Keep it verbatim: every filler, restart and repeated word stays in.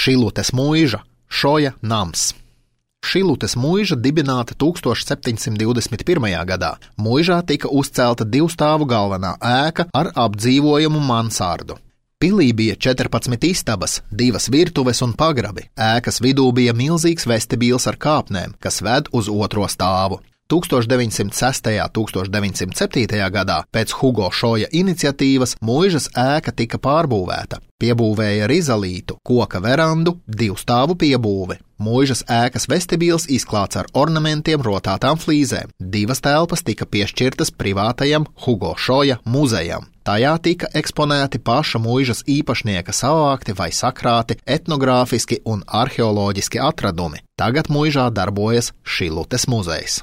Šilutes muiža, Šoja nams. Šilutes muiža dibināta tūkstoš septiņsimt divdesmit pirmajā gadā. Muižā tika uzcelta divstāvu galvenā ēka ar apdzīvojumu mansārdu. Pilī bija četrpadsmit istabas, divas virtuves un pagrabi. Ēkas vidū bija milzīgs vestibīls ar kāpnēm, kas ved uz otro stāvu. tūkstoš deviņsimt sestajā un tūkstoš deviņsimt septītajā gadā pēc Hugo Šoja iniciatīvas muižas ēka tika pārbūvēta. Piebūvēja rizalītu, koka verandu, divstāvu piebūvi. Muižas ēkas vestibīls izklāts ar ornamentiem rotātām flīzēm. Divas telpas tika piešķirtas privātajam Hugo Šoja muzejam. Tajā tika eksponēti paša muižas īpašnieka savākti vai sakrāti etnogrāfiski un arheoloģiski atradumi. Tagad muižā darbojas Šilutes muzejs.